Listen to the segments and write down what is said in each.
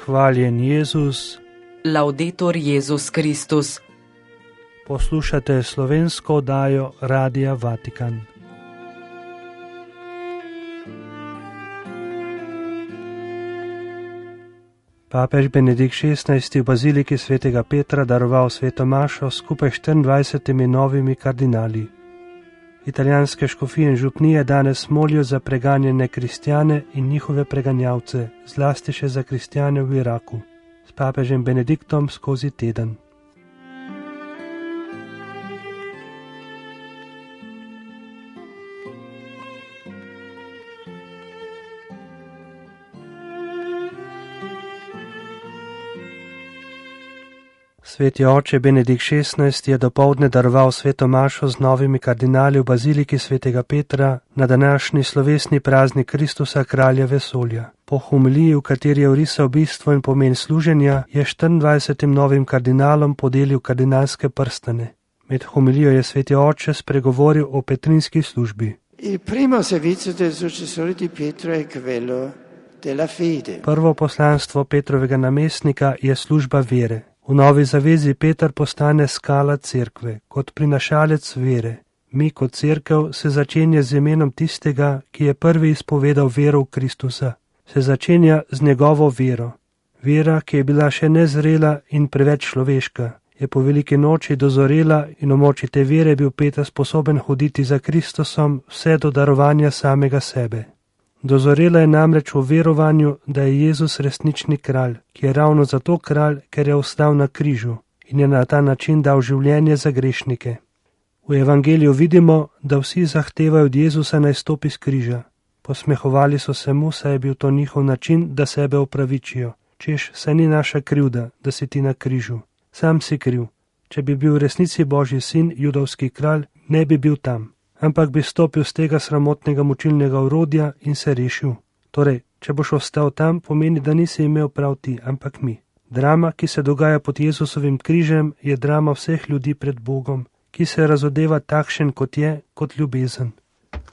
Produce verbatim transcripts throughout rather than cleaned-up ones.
Hvaljen Jezus. Laudetur Jezus Kristus. Poslušate slovensko oddajo Radia Vatikan. Papež Benedikt šestnajsti v baziliki svetega Petra daroval sveto mašo skupaj s štiriindvajsetimi novimi kardinali. Italijanske škofije in župnije danes molijo za preganjene kristjane in njihove preganjavce, zlasti še za kristjane v Iraku, s papežem Benediktom skozi teden. Sveti oče Benedikt šestnajsti je dopoldne daroval sveto mašo z novimi kardinali v baziliki svetega Petra na današnji slovesni praznik Kristusa, kralja vesolja. Po homiliji, v kateri je orisal bistvo in pomen služenja, je štiriindvajsetim novim kardinalom podelil kardinalske prstane. Med homilijo je sveti oče spregovoril o petrinski službi. Prvo poslanstvo Petrovega namestnika je služba vere. V novi zavezi Peter postane skala cerkve, kot prinašalec vere. Mi kot cerkev se začenja z imenom tistega, ki je prvi izpovedal vero v Kristusa. Se začenja z njegovo vero. Vera, ki je bila še nezrela in preveč človeška, je po veliki noči dozorela in v moči te vere bil Peter sposoben hoditi za Kristusom vse do darovanja samega sebe. Dozorela je namreč v verovanju, da je Jezus resnični kralj, ki je ravno zato kralj, ker je ostal na križu in je na ta način dal življenje za grešnike. V evangeliju vidimo, da vsi zahtevajo od Jezusa naj stopi s križa. Posmehovali so se mu, saj je bil to njihov način, da sebe opravičijo. Češ, saj ni naša krivda, da si ti na križu. Sam si kriv. Če bi bil v resnici Božji sin, judovski kralj, ne bi bil tam. Ampak bi stopil z tega sramotnega mučilnega orodja in se rešil. Torej, če boš ostal tam, pomeni, da nisi imel prav ti, ampak mi. Drama, ki se dogaja pod Jezusovim križem, je drama vseh ljudi pred Bogom, ki se razodeva takšen, kot je, kot ljubezen.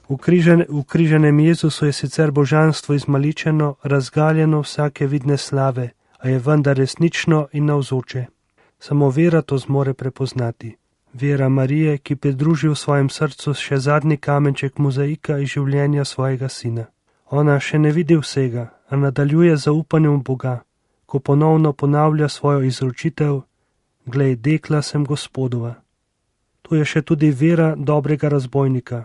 V, križen, v križenem Jezusu je sicer božanstvo izmaličeno, razgaljeno vsake vidne slave, a je vendar resnično in navzoče. Samo vera to zmore prepoznati. Vera Marije, ki pridruži v svojem srcu še zadnji kamenček mozaika iz življenja svojega sina. Ona še ne vidi vsega, a nadaljuje zaupanjem v Boga, ko ponovno ponavlja svojo izročitev: Glej, dekla sem Gospodova. Tu je še tudi vera dobrega razbojnika,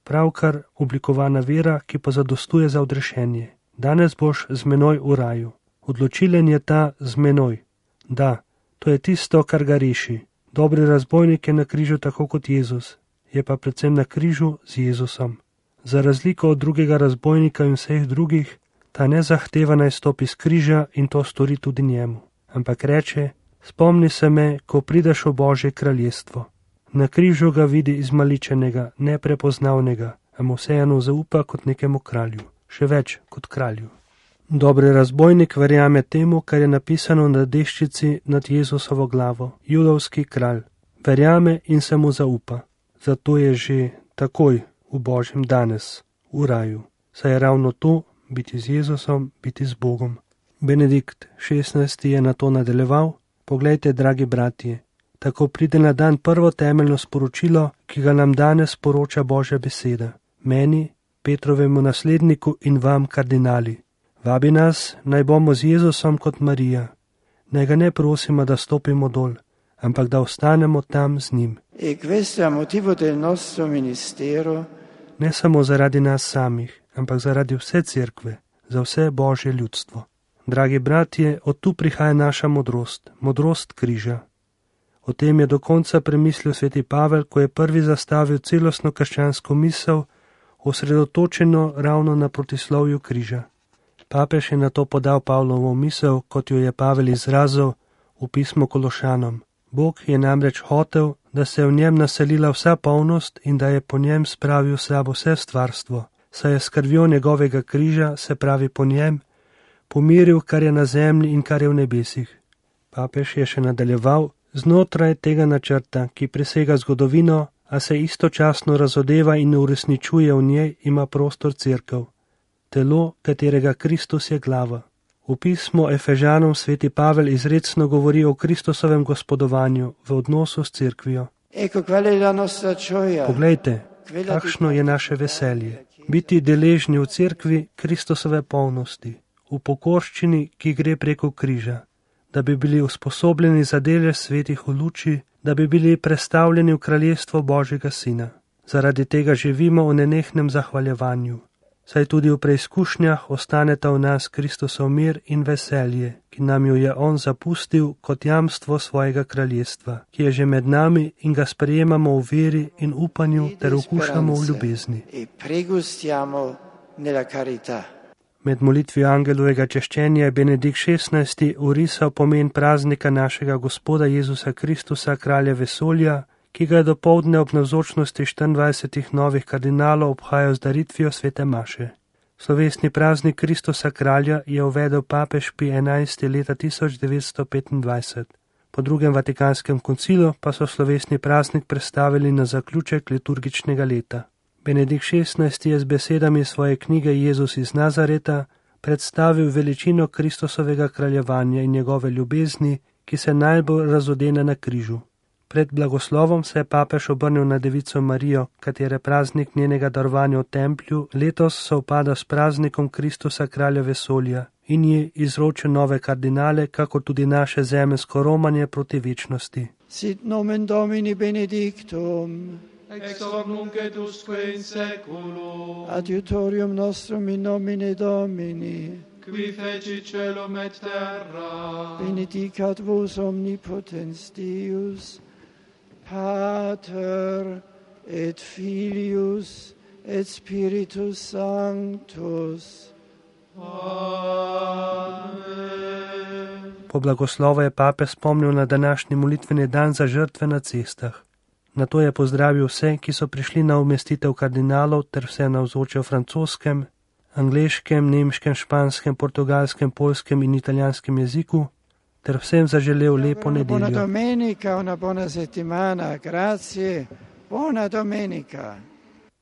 pravkar oblikovana vera, ki pa zadostuje za odrešenje. Danes boš z menoj v raju. Odločilen je ta z menoj. Da, to je tisto, kar ga reši. Dobri razbojnik je na križu tako kot Jezus, je pa predvsem na križu z Jezusom. Za razliko od drugega razbojnika in vseh drugih, ta ne zahteva naj stopi z križa in to stori tudi njemu. Ampak reče: spomni se me, ko prideš v Božje kraljestvo. Na križu ga vidi izmaličenega, neprepoznavnega, a mu vseeno zaupa kot nekemu kralju, še več kot kralju. Dobri razbojnik verjame temu, kar je napisano na deščici nad Jezusovo glavo, judovski kralj. Verjame in se mu zaupa. Zato je že takoj v Božjem danes, v raju. Saj je ravno to, biti z Jezusom, biti z Bogom. Benedikt šestnajsti je na to nadaljeval: poglejte, dragi bratje, tako pride na dan prvo temeljno sporočilo, ki ga nam danes poroča Božja beseda. Meni, Petrovemu nasledniku in vam, kardinali. Vabi nas, naj bomo z Jezusom kot Marija. Naj ga ne prosimo, da stopimo dol, ampak da ostanemo tam z njim. Ne samo zaradi nas samih, ampak zaradi vse cerkve, za vse Božje ljudstvo. Dragi bratje, od tu prihaja naša modrost, modrost križa. O tem je do konca premislil sveti Pavel, ko je prvi zastavil celostno krščansko misel, osredotočeno ravno na protislovju križa. Papež je na to podal Pavlovo misel, kot jo je Pavel izrazil v pismu Kološanom. Bog je namreč hotel, da se je v njem naselila vsa polnost in da je po njem spravil sabo vse stvarstvo, saj je s krvjo njegovega križa, se pravi po njem, pomiril, kar je na zemlji in kar je v nebesih. Papež je še nadaljeval: znotraj tega načrta, ki presega zgodovino, a se istočasno razodeva in uresničuje v njej, ima prostor cerkev. Telo, katerega Kristus je glava. V pismu Efežanom sveti Pavel izrecno govori o Kristusovem gospodovanju v odnosu s cerkvijo. Poglejte, kakšno je naše veselje. Biti deležni v cerkvi Kristusove polnosti, v pokorščini, ki gre preko križa, da bi bili usposobljeni za delež svetih v luči, da bi bili prestavljeni v kraljestvo Božjega Sina. Zaradi tega živimo v nenehnem zahvaljevanju, saj tudi v preizkušnjah ostaneta v nas Kristusov mir in veselje, ki nam jo je On zapustil kot jamstvo svojega kraljestva, ki je že med nami in ga sprejemamo v veri in upanju ter okušamo v ljubezni. Med molitvijo angelovega češčenja je Benedikt šestnajsti urisal pomen praznika našega Gospoda Jezusa Kristusa, kralja vesolja, ki ga je dopoldne ob navzočnosti štiriindvajsetih novih kardinalov obhajal z daritvijo svete maše. Slovesni praznik Kristusa kralja je uvedel papež Pij enajsti leta tisoč devetsto petindvajset. Po drugem vatikanskem koncilu pa so slovesni praznik prestavili na zaključek liturgičnega leta. Benedikt šestnajsti je z besedami svoje knjige Jezus iz Nazareta predstavil veličino Kristusovega kraljevanja in njegove ljubezni, ki se najbolj razodene na križu. Pred blagoslovom se je papež obrnil na devico Marijo, katere praznik njenega darovanja v templju letos sovpada s praznikom Kristusa kralja vesolja in ji izročil nove kardinale, kako tudi naše zemeljsko romanje proti večnosti. Sit nomen Domini benedictum, ex hoc nunc et usque in saeculum, adiutorium nostrum in nomine Domini, qui feci celum et terra, benedicat vos omnipotens Deus, Pater et Filius et Spiritus Sanctus. Amen. Po blagoslovu je papež spomnil na današnji molitveni dan za žrtve na cestah. Nato je pozdravil vse, ki so prišli na umestitev kardinalov ter vse navzoče v francoskem, angleškem, nemškem, španskem, portugalskem, poljskem in italijanskem jeziku, ter vsem zaželel lepo nedeljo. Buona domenica, una buona settimana, grazie, buona domenica.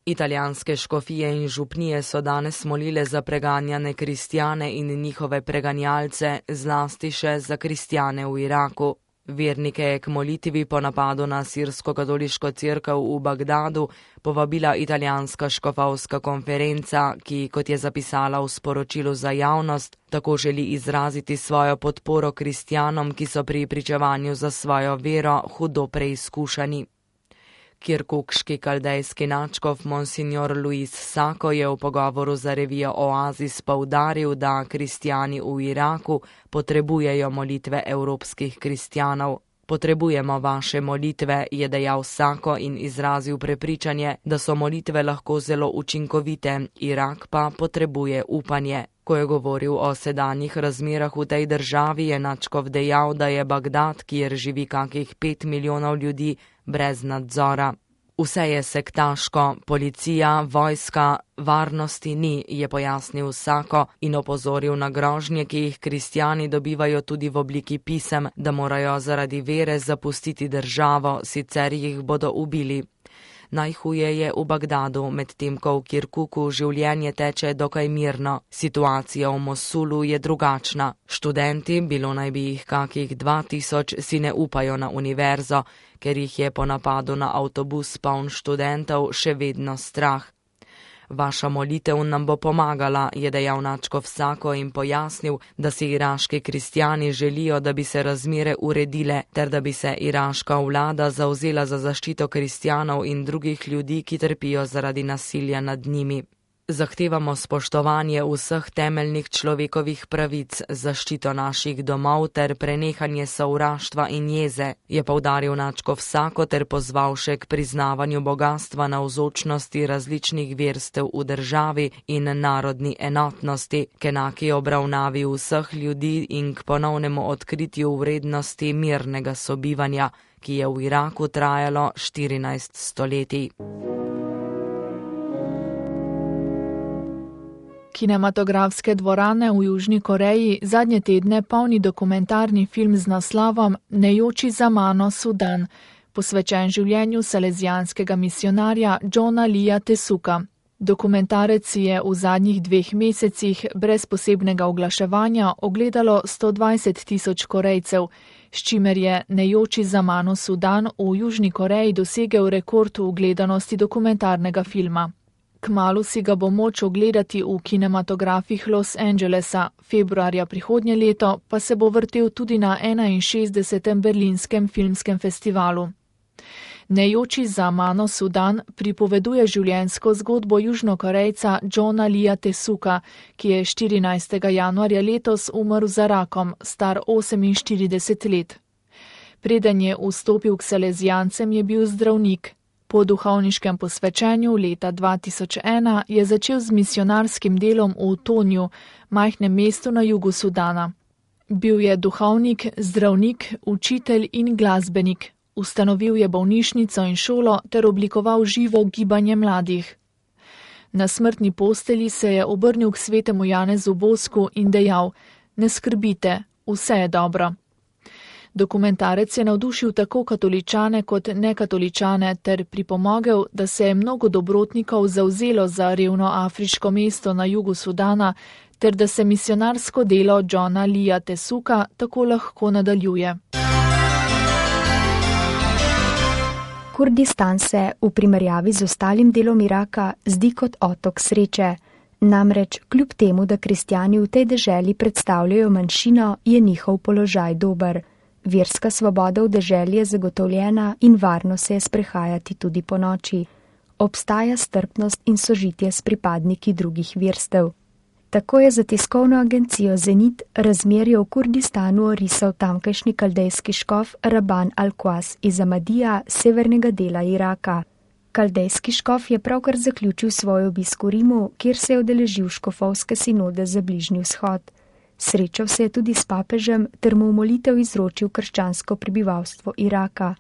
Italijanske škofije in župnije so danes molile za preganjane kristjane in njihove preganjalce, zlasti še za kristjane v Iraku. Vernike je k molitvi po napadu na sirsko-katoliško cerkev v Bagdadu povabila italijanska škofovska konferenca, ki, kot je zapisala v sporočilu za javnost, tako želi izraziti svojo podporo kristjanom, ki so pri pričevanju za svojo vero hudo preizkušani. Kirkukški kaldejski nadškof monsignor Luis Sako je v pogovoru za revijo Oasis poudaril, da kristjani v Iraku potrebujejo molitve evropskih kristjanov. Potrebujemo vaše molitve, je dejal Sako in izrazil prepričanje, da so molitve lahko zelo učinkovite, Irak pa potrebuje upanje. Ko je govoril o sedanjih razmerah v tej državi, je nadškof dejal, da je Bagdad, kjer živi kakih pet milijonov ljudi, brez nadzora. Vse je sektaško, policija, vojska, varnosti ni, je pojasnil Sako in opozoril na grožnje, ki jih kristjani dobivajo tudi v obliki pisem, da morajo zaradi vere zapustiti državo, sicer jih bodo ubili. Najhuje je v Bagdadu, medtem ko v Kirkuku življenje teče dokaj mirno. Situacija v Mosulu je drugačna. Študenti, bilo naj bi jih kakih dva tisoč, si ne upajo na univerzo, ker jih je po napadu na avtobus poln študentov še vedno strah. Vaša molitev nam bo pomagala, je dejal nadškof Sako in pojasnil, da si iraški kristjani želijo, da bi se razmere uredile, ter da bi se iraška vlada zavzela za zaščito kristjanov in drugih ljudi, ki trpijo zaradi nasilja nad njimi. Zahtevamo spoštovanje vseh temeljnih človekovih pravic, zaščito naših domov ter prenehanje sovraštva in jeze, je poudaril nadškof Sako ter pozval še k priznavanju bogatstva navzočnosti različnih verstev v državi in narodni enotnosti, k enaki obravnavi vseh ljudi in k ponovnemu odkritju vrednosti mirnega sobivanja, ki je v Iraku trajalo štirinajst stoletij. Kinematografske dvorane v Južni Koreji zadnje tedne polni dokumentarni film z naslovom Ne joči za mano, Sudan, posvečen življenju salezijanskega misionarja Johna Leeja Tesuka. Dokumentarec je v zadnjih dveh mesecih brez posebnega oglaševanja ogledalo sto dvajset tisoč Korejcev, s čimer je Ne joči za mano Sudan v Južni Koreji dosegel rekord v gledanosti dokumentarnega filma. Kmalu si ga bo moč ogledati v kinematografih Los Angelesa, februarja prihodnje leto pa se bo vrtel tudi na enainšestdesetem berlinskem filmskem festivalu. Ne joči za mano Sudan pripoveduje življenjsko zgodbo Južnokorejca Johna Leea Tesuka, ki je štirinajstega januarja letos umrl za rakom, star oseminštirideset let. Preden je vstopil k salezijancem, je bil zdravnik. Po duhovniškem posvečenju leta dva tisoč ena je začel z misionarskim delom v Tonju, majhnem mestu na jugu Sudana. Bil je duhovnik, zdravnik, učitelj in glasbenik. Ustanovil je bolnišnico in šolo ter oblikoval živo gibanje mladih. Na smrtni postelji se je obrnil k svetemu Janezu Bosku in dejal: "Ne skrbite, vse je dobro." Dokumentarec je navdušil tako katoličane kot nekatoličane ter pripomogel, da se je mnogo dobrotnikov zavzelo za revno afriško mesto na jugu Sudana ter da se misionarsko delo Johna Leea Tesuka tako lahko nadaljuje. Kurdistan se v primerjavi z ostalim delom Iraka zdi kot otok sreče. Namreč, kljub temu, da kristjani v tej deželi predstavljajo manjšino, je njihov položaj dober. Verska svoboda v deželi je zagotovljena in varno se je sprehajati tudi po noči. Obstaja strpnost in sožitje s pripadniki drugih verstev. Tako je za tiskovno agencijo Zenit razmerje v Kurdistanu orisal tamkajšnji kaldejski škof Raban al-Quas iz Amadija, severnega dela Iraka. Kaldejski škof je pravkar zaključil svoj obisk v Rimu, kjer se je udeležil škofovske sinode za Bližnji vzhod. Srečal se je tudi s papežem ter mu v molitev izročil krščansko prebivalstvo Iraka.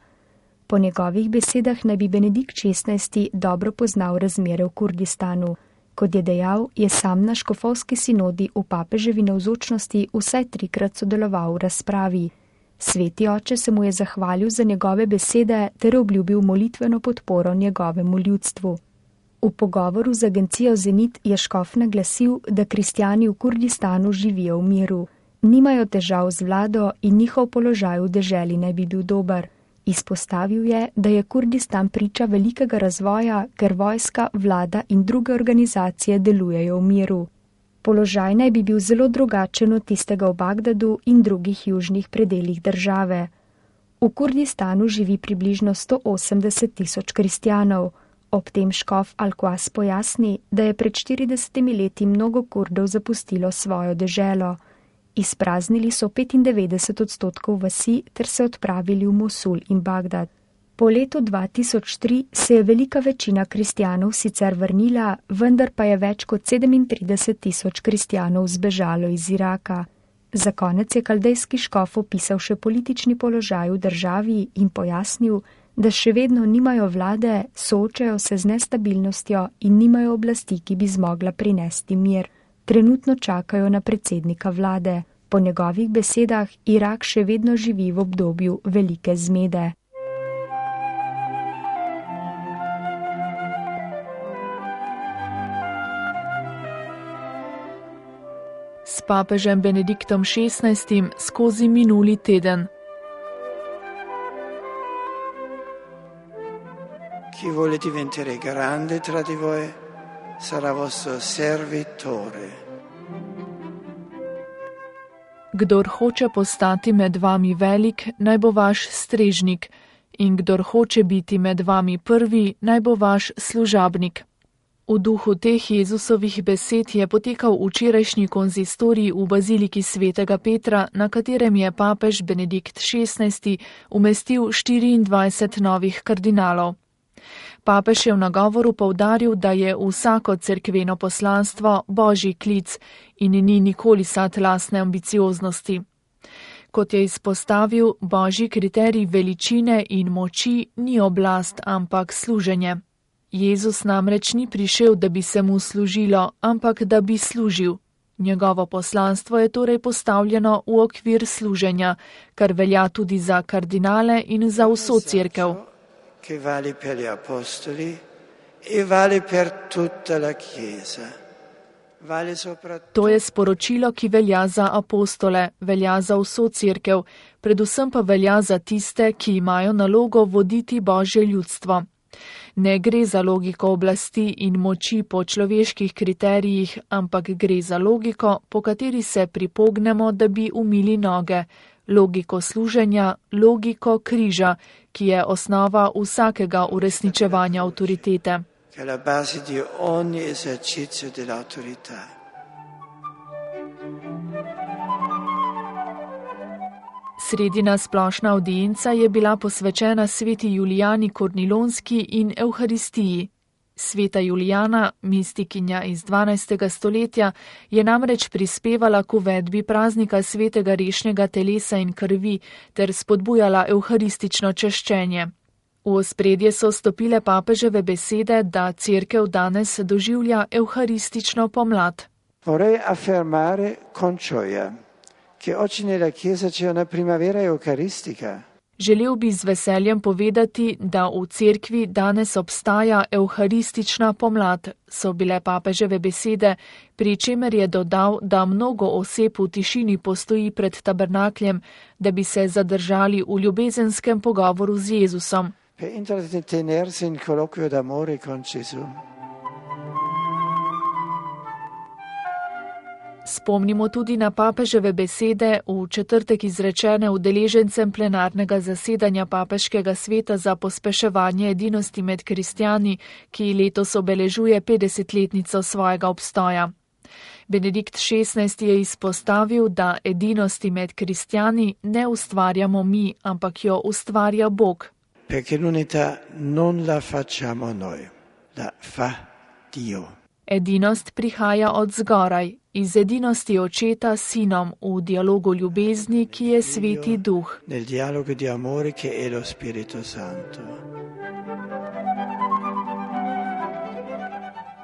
Po njegovih besedah naj bi Benedikt šestnajsti dobro poznal razmere v Kurdistanu. Kot je dejal, je sam na škofovski sinodi v papeževi navzočnosti vsaj trikrat sodeloval v razpravi. Sveti oče se mu je zahvalil za njegove besede ter obljubil molitveno podporo njegovemu ljudstvu. V pogovoru z agencijo Zenit je škof naglasil, da kristjani v Kurdistanu živijo v miru. Nimajo težav z vlado in njihov položaj v deželi naj bi bil dober. Izpostavil je, da je Kurdistan priča velikega razvoja, ker vojska, vlada in druge organizacije delujejo v miru. Položaj naj bi bil zelo drugačen od tistega v Bagdadu in drugih južnih predeljih države. V Kurdistanu živi približno sto osemdeset tisoč kristjanov. Ob tem škof al-Quas pojasni, da je pred štiridesetimi leti mnogo Kurdov zapustilo svojo deželo. Izpraznili so petindevetdeset odstotkov vasi ter se odpravili v Mosul in Bagdad. Po letu dva tisoč tri se je velika večina kristjanov sicer vrnila, vendar pa je več kot sedemintrideset tisoč kristjanov zbežalo iz Iraka. Za konec je kaldejski škof opisal še politični položaj v državi in pojasnil, da še vedno nimajo vlade, soočajo se z nestabilnostjo in nimajo oblasti, ki bi zmogla prinesti mir. Trenutno čakajo na predsednika vlade. Po njegovih besedah Irak še vedno živi v obdobju velike zmede. S papežem Benediktom šestnajstim skozi minuli teden. Chi vuole diventare grande tra di voi sarà vostro servitore. Kdor hoče postati med vami velik, naj bo vaš strežnik, in kdor hoče biti med vami prvi, naj bo vaš služabnik. V duhu teh Jezusovih besed je potekal včerajšnji konzistorij v baziliki svetega Petra, na katerem je papež Benedikt šestnajsti umestil štiriindvajset novih kardinalov. Papež je v nagovoru poudaril, da je vsako cerkveno poslanstvo božji klic in ni nikoli sad lastne ambicioznosti. Kot je izpostavil, božji kriterij veličine in moči ni oblast, ampak služenje. Jezus namreč ni prišel, da bi se mu služilo, ampak da bi služil. Njegovo poslanstvo je torej postavljeno v okvir služenja, kar velja tudi za kardinale in za vso cerkev. Che vale per gli apostoli e vale per tutta la Chiesa. Vale soprattutto... To je sporočilo, ki velja za apostole, velja za vso cerkev, predvsem pa velja za tiste, ki imajo nalogo voditi Božje ljudstvo. Ne gre za logiko oblasti in moči po človeških kriterijih, ampak gre za logiko, po kateri se pripognemo, da bi umili noge, logiko služenja, logiko križa, ki je osnova vsakega uresničevanja avtoritete. Che è la base di ogni esercizio dell'autorità. Sredina splošna avdienca je bila posvečena sveti Julijani Kornilonski in Evharistiji. Sveta Julijana, mistikinja iz dvanajstega stoletja, je namreč prispevala k uvedbi praznika svetega rešnjega telesa in krvi ter spodbujala evharistično češčenje. V ospredje so stopile papeževe besede, da cerkev danes doživlja evharistično pomlad. Vorrei affermare con gioia che oggi nella Chiesa c'è una primavera eucaristica. Želel bi z veseljem povedati, da v cerkvi danes obstaja evharistična pomlad, so bile papeževe besede, pri čemer je dodal, da mnogo oseb v tišini postoji pred tabernakljem, da bi se zadržali v ljubezenskem pogovoru z Jezusom. Per intrattenersi in colloquio d'amore con Gesù. Spomnimo tudi na papeževe besede, v četrtek izrečene udeležencem plenarnega zasedanja Papeškega sveta za pospeševanje edinosti med kristjani, ki letos obeležuje petdesetletnico svojega obstoja. Benedikt šestnajsti je izpostavil, da edinosti med kristjani ne ustvarjamo mi, ampak jo ustvarja Bog. Perché l'unità non la facciamo noi, la fa Dio. Edinost prihaja od zgoraj, iz edinosti očeta s sinom v dialogu ljubezni, ki je sveti duh. Nel dialogo di amore che è lo Spirito Santo.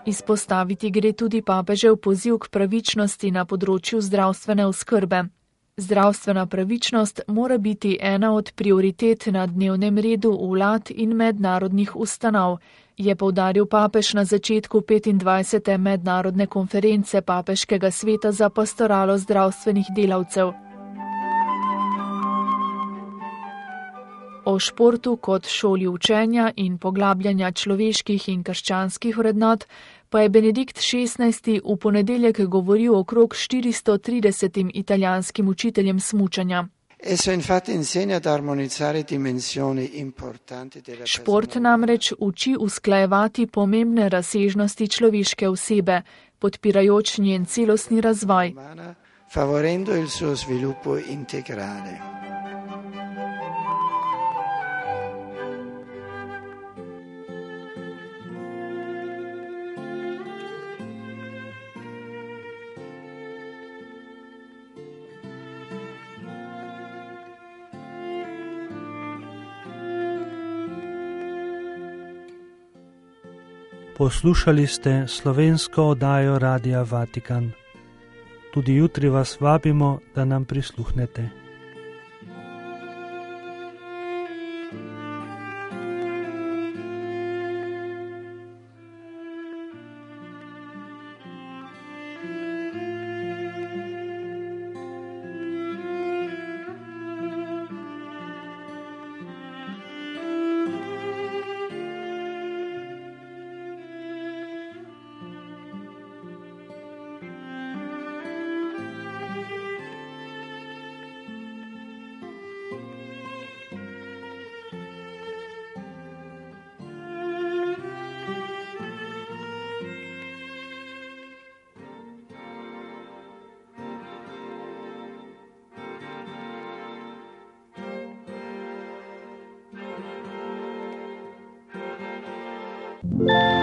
Izpostaviti gre tudi papežev poziv k pravičnosti na področju zdravstvene oskrbe. Zdravstvena pravičnost mora biti ena od prioritet na dnevnem redu vlad in mednarodnih ustanov, je poudaril papež na začetku petindvajsete mednarodne konference Papeškega sveta za pastoralo zdravstvenih delavcev. O športu kot šoli učenja in poglabljanja človeških in krščanskih vrednot pa je Benedikt šestnajsti v ponedeljek govoril okrog štiristo tridesetim italijanskim učiteljem smučanja. Šport namreč uči usklajevati pomembne razsežnosti človeške osebe, podpirajoč njen celostni razvoj. Favorendo il suo sviluppo integrale. Poslušali ste slovensko oddajo Radia Vatikan. Tudi jutri vas vabimo, da nam prisluhnete. Thank you.